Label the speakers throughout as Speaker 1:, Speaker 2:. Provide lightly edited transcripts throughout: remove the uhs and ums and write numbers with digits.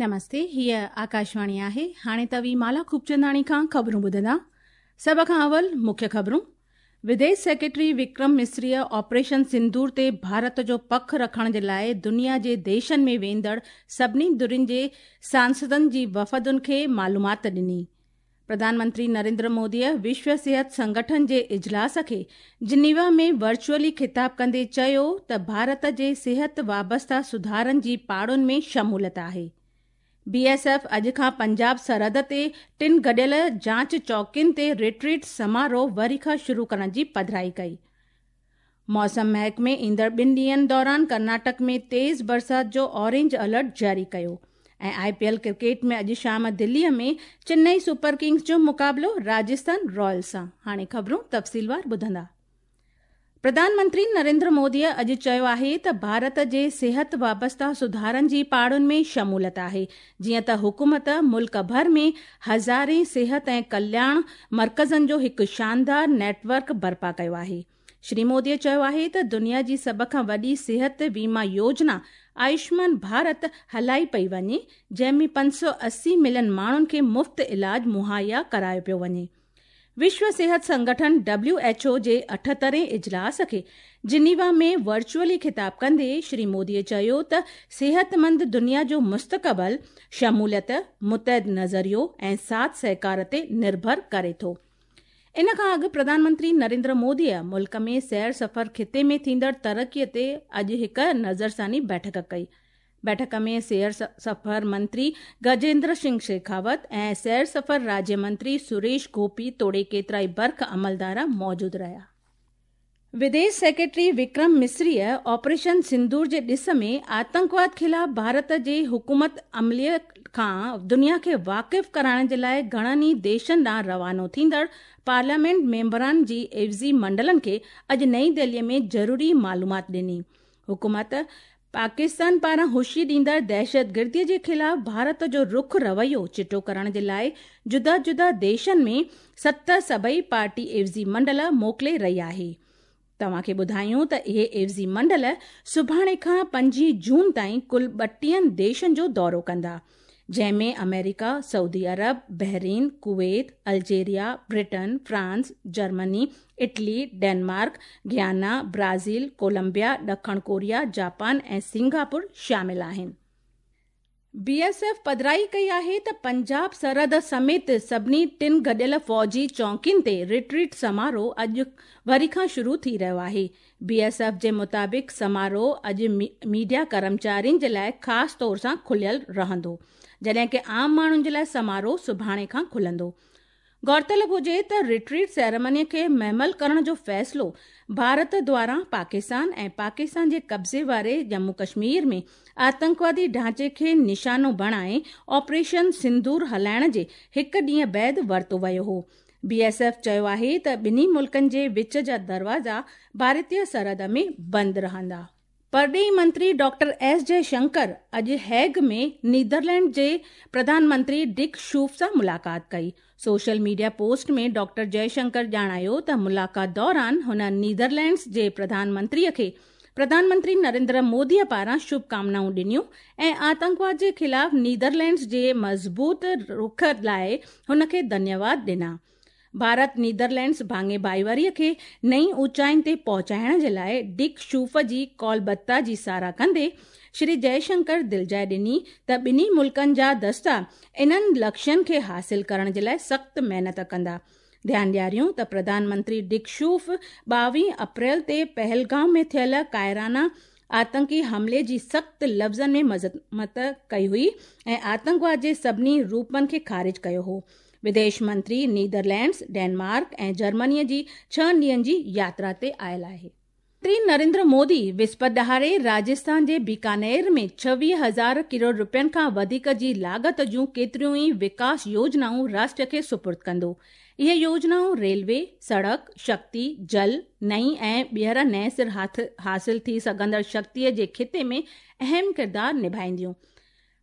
Speaker 1: نمستي، هيء آڪاشواڻي آهي. هاڻي توهين مالا خوبچنداڻي کان خبرون ٻڌندا. سڀ کان اول مکيه خبرون. وديش سيڪريٽري وڪرم مصريء آپريشن سندور تي ڀارت جو پک رکڻ جي لاء دنيا جي ديشن ۾ ويندڙ سڀني ڌرين جي سانسدن جي وفدن کي معلومات ڏني. پرڌان منتري نريندر موديء وشو صحت سنگٺن جي اجلاس کي جنيوا ۾ ورچوئلي خطاب ڪندي چيو ته ڀارت جي صحت وابسته سڌارن جي پاڙن ۾ شموليت آهي. بي ايس ايف اڄ کان پنجاب سرحد تي ٽن گڏيل جاچ چوڪين تي ريٽريٽ سماروهه وري کان شروع ڪرڻ جي پڌرائي ڪئي. موسم محڪمي ايندڙ ٻن ڏينهن دوران ڪرناٽڪ ۾ تيز برسات جو اورينج الرٽ جاري ڪيو ۽ آء پي ايل ڪرڪيٽ ۾ اڄ شام دلي ۾ چنئي سپر ڪنگز جو مقابلو راجسٿان رائلز سان. هاڻي خبرون تفصيلوار ٻڌندا. پرڌان منتري نريندر موديء اڄ چيو آهي ته ڀارت جي صحت وابسته سڌارن جي پاڙن ۾ شموليت آهي، جيئن ته حڪومت ملڪ ڀر ۾ هزارين صحت ۽ ڪلياڻ مرڪزن جو هڪ شاندار نيٽ ورڪ برپا ڪيو آهي. شري مودي چيو آهي ته دنيا جي سڀ کان وڏي صحت ويما يوجنا آيوشمان ڀارت هلائي پئي وڃي، جنهن ۾ 580 ملين ماڻهن کي مفت علاج مهيا ڪرايو پيو وڃي. وشو صحت سنگٺن، ڊبليو ايڇ او، جي اٺهترين اجلاس کي جنيوا ۾ ورچوئلي خطاب ڪندي شري مودي چيو ته صحتمند دنيا جو مستقبل شموليت، متحد نظريو ۽ ساٿ سهڪار تي نرڀر ڪري ٿو. ان کان اڳ پرڌان منتري نريندر موديء ملڪ ۾ سير سفر خطي ۾ ٿيندڙ ترقي تي اڄ هڪ نظرثاني بيٺڪ ڪئي. بيٺڪ ۾ سير سفر منتري گجيندر سنگهه شيخاوت ۽ سير سفر راجيه منتري سريش گوپي توڙي ڪيترائي برک عملدار موجود رهيا. وديش سيڪريٽري وڪرم مصريء آپريشن سندور جي ڏس ۾ آتنڪواد خلاف ڀارت جي حڪمت عمليء کان دنيا کي واقف ڪرائڻ جي لاء گهڻن ئي ديشن ڏانهن روانو ٿيندڙ پارليامينٽ ميمبران جي عيوضي منڊلن کي اڄ نئين دهليء ۾ ضروري معلومات ڏني. حڪومت پاڪستان پاران هشي ڏيندڙ دهشتگردي جي خلاف ڀارت جو رخ رويو چٽو ڪرڻ جي لاء جدا جدا ديشن ۾ ست سڀئي پارٽي عيوضي منڊل موڪلي رهي آهي. توهان کي ٻڌايون ته اهي عيوضي منڊل سڀاڻي کان پنجين جون تائين ڪل ٻٽيهن ديشن جو دورو ڪندا. جنهن ۾ آمريڪا، سعودي عرب، Bahrain, Kuwait, Algeria, Britain, France, Germany, Italy, Denmark, Guyana, Brazil, Colombia, ڏکڻ ڪوريا، جاپان ۽ سنگاپور شامل آهن. بي ايس ايف پڌرائي ڪئي آهي ته پنجاب سرحد سميت سڀني ٽن گڏيل فوجي چونڪين تي ريٽريٽ سماروهه اڄ وري کان شروع ٿي رهيو آهي. بي ايس ايف جي مطابق سماروهه اڄ ميڊيا ڪرمچارين جي لاء خاص طور سان کليل رهندو، جڏهن ڪه عام ماڻهن جي لاء سماروهه سڀاڻي کان کلندو. غور طلب هجي ته ريٽريٽ سيريمني کي مهمل ڪرڻ جو فيصلو ڀارت دواران پاڪستان ۽ پاڪستان جي قبضي واري ڄمون ڪشمير ۾ آتنڪوادي ڍانچي کي نشانو بڻائي آپريشن سندور هلائڻ جي هڪ ڏينهن بعد ورتو ويو هو. بي ايس ايف چيو آهي ته ٻنهي ملڪن جي وچ جا دروازا ڀارتي سرحد ۾ بند رهندا. پرڏيهي منتري ڊاڪٽر ايس جئه شنڪر اڄ هيگ ۾ نيدرلينڊ جي پرڌان منتري ڊڪ شوف سان ملاقات ڪئي. Social media post ۾ doctor Jai Shankar ڄاڻايو ته ملاقات دوران هن نيدرلينڊز جي پرڌان منتري کي پرڌان منتري نريندر مودي پاران شڀ ڪامنائون ڏنيون ۽ آتنڪواد جي خلاف نيدرلينڊز جي مضبوط رخ لاء هن کي ڌنيواد ڏنا. ڀارت نيدرلينڊز ڀاڱي ڀائيواري کي نئين اوچائين تي پهچائڻ جي لاء ڊڪ شوف جي ڪالبتا جي ساراهه ڪندي شري جئه شنڪر دلجاء ڏني ته ٻنهي ملڪن جا دستا انهن لڪشين کي حاصل ڪرڻ جي لاء سخت محنت ڪندا. ڌيان ڏياريون ته پرڌان منتري ڊڪ شوف 22 اپريل تي پهلگام ۾ ٿيل ڪائرانه آتنڪي حملي جي سخت لفظن ۾ مذمت ڪئي هئي ۽ آتنڪواد جي سڀني روپن کي خارج ڪيو هو. وديش منتري نيدرلينڊز، ڊينمارڪ ۽ جرمني جي ڇهن ڏينهن جي ياترا تي آيل آهي. منتري نريندر مودي وسپت ڏهاڙي راجسٿان جي بيڪانير ۾ 26 هزار ڪروڙ رپين کان وڌيڪ جي لاڳت جون ڪيتريون ئي وڪاس يوجنائون راشٽر کي سپرد ڪندو. اهي يوجنائون ريلوي، سڙڪ، شڪتي، جل، نئين ۽ ٻيهر نئين سر حاصل ٿي سگهندڙ شڪتي جي خطي ۾ اهم ڪردار نڀائينديون.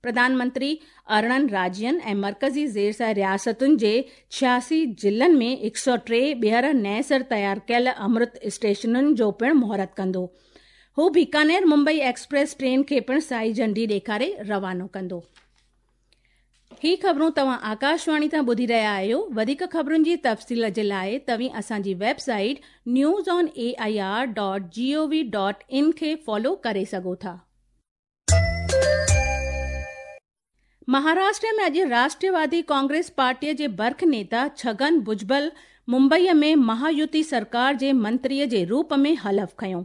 Speaker 1: پرڌان منتري 18 راجين ۽ مرڪزي زير سايه رياستن جي 86 ضلعن ۾ 103 ٻيهر نئين سر تيار ڪيل امرت اسٽيشنن جو پڻ مهورت ڪندو. هو بيڪانير ممبئي ايڪسپريس ٽرين کي پڻ سائي جهنڊي ڏيکاري روانو ڪندو. هي خبرون توهان آڪاشواڻي تان ٻڌي رهيا آهيو. وڌيڪ خبرن جي تفصيل جي لاء توهين اسان جي website news on A I R dot G O V dot in کي فالو ڪري سگهو ٿا. مهاراشٽر ۾ اڄ راشٽروادي ڪانگريس پارٽيء جي برک نيتا ڇگن ڀجبل ممبئيء ۾ مهايوتي سرڪار جي منتريء جي روپ ۾ حلف کنيو.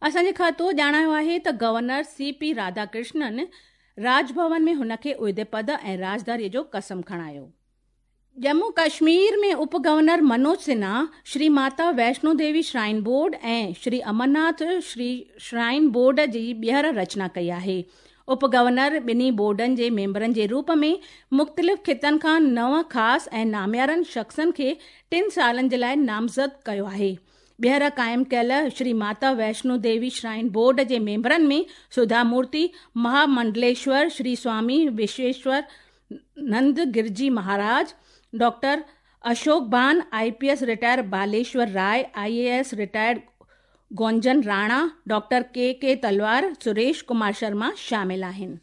Speaker 1: اسان جي کاتو ڄاڻايو آهي ته governor C P Radhakrishnan Raj Bhavan ۾ هن کي عهدي پد ۽ رازداريء جو قسم کڻايو. ڄمون ڪشمير ۾ اپ governor Manoj Sinha, Shri Mata Vaishno Devi shrine board ۽ Shri Amarnath Shri shrine board جي ٻيهر رچنا ڪئي آهي. اپ گورنر ٻنهي بورڊن جي ميمبرن جي روپ ۾ مختلف خطن کان نو خاص ۽ ناميارن شخصن کي ٽن سالن جي لاء نامزد ڪيو آهي. ٻيهر قائم ڪيل شري ماتا ويشنو ديوي شرائن بورڊ جي ميمبرن ۾ سڌا مورتي، مهامنڊليشور شري سوامي وشويشور نند Giriji Maharaj, doctor Ashok Bhan, I P S retired Baleshwar Rai, I A S retired Gunjan Rana, doctor K K Talwar, Suresh Kumar Sharma شامل آهن.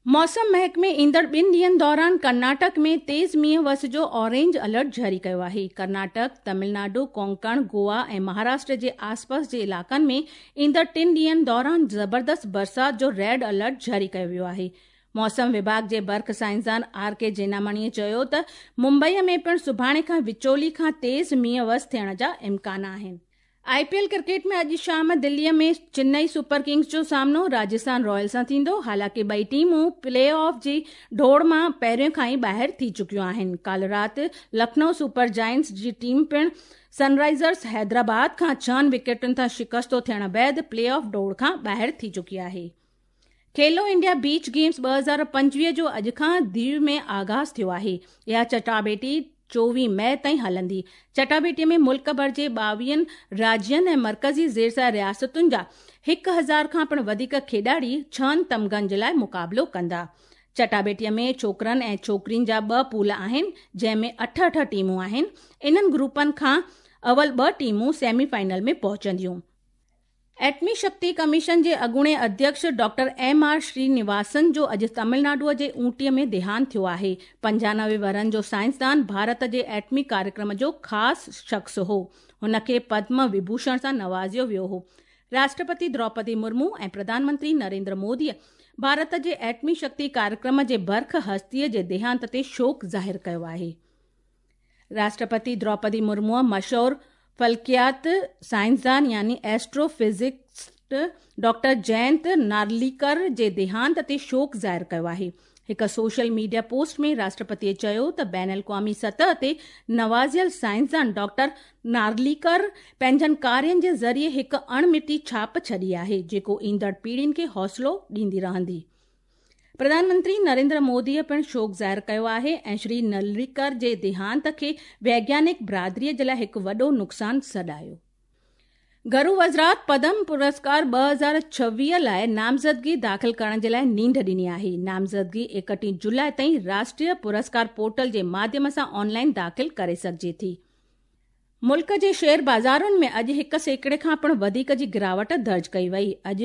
Speaker 1: موسم محڪمي ايندڙ ٻن ڏينهن دوران ڪرناٽڪ ۾ تيز مينهن وس جو اورينج الرٽ جاري ڪيو آهي. ڪرناٽڪ، تمل ناڊو، ڪونڪڻ، گوا ۽ مهاراشٽر جي آسپاس جي علائقن ۾ ايندڙ ٽن ڏينهن دوران زبردست برسات جو ريڊ الرٽ جاري ڪيو ويو آهي. موسم وڀاڳ جي برک سائنسدان آر ڪي جينامڻيء چيو ته ممبئي ۾ پڻ سڀاڻي کان وچولي کان تيز مينهن وس ٿيڻ جا امڪان آهن. آء پي ايل ڪرڪيٽ ۾ اڄ شام دلي ۾ چنئي سپر ڪنگز جو سامنو راجسٿان رائلز سان ٿيندو، حالانڪه ٻئي ٽيمون پلي آف جي ڊوڙ مان پهريون کان ئي ٻاهر ٿي چڪيون آهن. ڪالهه رات لکنؤ سپر جائنٽس جي ٽيم پڻ سن رائيزرز حيدرآباد کان ڇهن وڪيٽن تان شڪستو ٿيڻ بعد پلي آف ڊوڙ کان ٻاهر ٿي چڪي آهي. کيلو انڊيا بيچ گيمز 2025 جو اڄ کان ديو ۾ آغاز ٿيو آهي. اها چٽاڀيٽي 24 مئي تائين هلندي. چٽاڀيٽي ۾ ملڪ ڀر جي ٻاويهن راجين ۽ مرڪزي زيرسايه رياستن جا هڪ هزار کان پڻ وڌيڪ کيڏاڙي ڇهن تمغن جي لاء مقابلو ڪندا. چٽاڀيٽي ۾ ڇوڪرن ۽ ڇوڪرين جا ٻه پول آهن، جنهن ۾ اٺ اٺ ٽيمون آهن. انهن گروپن کان اول ٻه ٽيمون سيمي فائنل ۾ پهچنديون. ايٽمي شڪتي ڪميشن جي اڳوڻي اڌيڪش ڊاڪٽر ايم آر شري نواسن جو اڄ تامل ناڊوء جي اونٽيء ۾ ديهانت ٿيو آهي. 95 ورهن جو سائنسدان ڀارت جي ايٽمي ڪاريڪرم جو خاص شخص هو. هن کي پدم وڀوشڻ سان نوازيو ويو هو. راشٽرپتي دروپدي مرمو ۽ پرڌان منتري نريندر موديء ڀارت جي ايٽمي شڪتي ڪاريڪرم جي برک هستيء جي ديهانت تي شوڪ ظاهر ڪيو آهي. راشٽرپتي دروپدي مرموء مشهور فلڪيات سائنسدان يعني ايسٽرو فزڪسٽ ڊاڪٽر جينت نارليڪر جي ديهانت تي شوڪ ظاهر ڪيو آهي. هڪ سوشل ميڊيا پوسٽ ۾ راشٽرپتيء چيو ته بين الاقوامي سطح تي نوازيل سائنسدان ڊاڪٽر نارليڪر پنهنجن ڪارين جي ذريعي هڪ اڻ مٽي ڇاپ ڇڏي آهي، جيڪو ايندڙ پيڙهين کي حوصلو ڏيندي رهندي. پرڌان منتري نريندر موديء پڻ شوڪ ظاهر ڪيو آهي ۽ شري نلريڪر جي ديهانت کي ويگيانڪ برادريء جي لاء هڪ وڏو نقصان سڏايو. گهرو وزارت پدم پرسڪار 2026 لاء نامزدگي داخل ڪرڻ جي لاء نينڍ ڏني آهي. نامزدگي 31 جولاء تائين راشٽريه پرسڪار پورٽل جي ماڌيم سان آن لائن داخل ڪري سگهجي ٿي. ملڪ جي شيئر بازارن ۾ اڄ 1% کان پڻ وڌيڪ جي گراوٽ درج ڪئي وئي. اڄ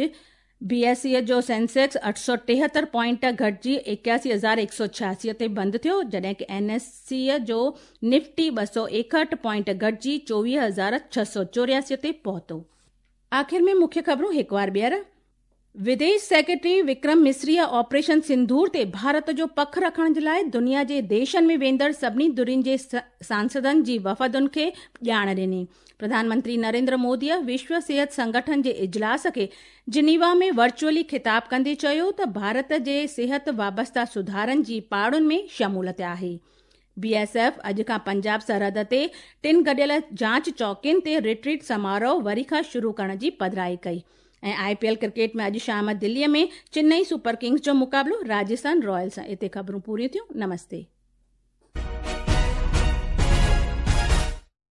Speaker 1: بي ايس اي جو سينسيڪس 873 پوائنٽ گهٽجي 81186 تي بند ٿيو، جڏهن ڪه اين ايس سي جو نفٽي 261 پوائنٽ گهٽجي 24684 تي پهتو. آخر ۾ مکيه خبرون هڪ وار ٻيهر. وديش سيڪريٽري وڪرم مصريء آپريشن سنڌور تي ڀارت جو پک رکڻ جي لاء دنيا جي ديشن ۾ ويندڙ سڀني ڌرين جي سانسدن جي وفدن کي ڄاڻ ڏني. پرڌان منتري نريندر موديء وشو صحت سنگٺن جي اجلاس کي جنيوا ۾ ورچوئلي خطاب ڪندي چيو ته ڀارت جي صحت وابسته سڌارن جي پاڙن ۾ شموليت آهي. بي ايس ايف اڄ کان پنجاب سرحد تي ٽن گڏيل جاچ چوڪين تي ريٽريٽ سماروهه وري کان شروع ڪرڻ جي پڌرائي ڪئي ۽ آء پي ايل ڪرڪيٽ ۾ اڄ شام دلي ۾ چنئي سپر ڪنگز جو مقابلو راجسٿان رائلز سان. اتي خبرون پوريون ٿيون. نمستي.